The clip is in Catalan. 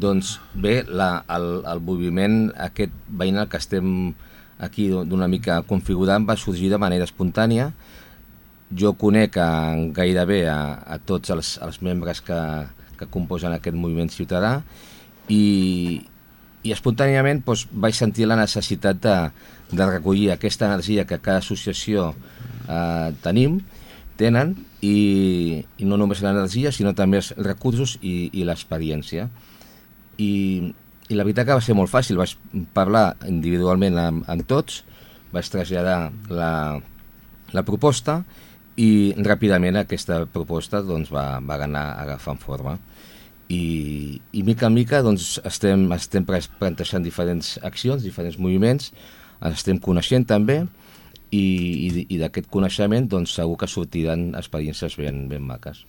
Doncs bé, el moviment aquest veïnal que estem aquí d'una mica configurant va sorgir de manera espontània. Jo conec gairebé a tots els membres que composen aquest moviment ciutadà i espontàniament vaig sentir la necessitat de recollir aquesta energia que cada associació tenen i no només l'energia sinó també els recursos i l'experiència. I la veritat que va ser molt fàcil, vaig parlar individualment amb tots, vaig traslladar la proposta i ràpidament aquesta proposta va anar agafant forma i mica en mica estem plantejant diferents accions, diferents moviments, ens estem coneixent també i d'aquest coneixement segur que sortiran experiències ben maques.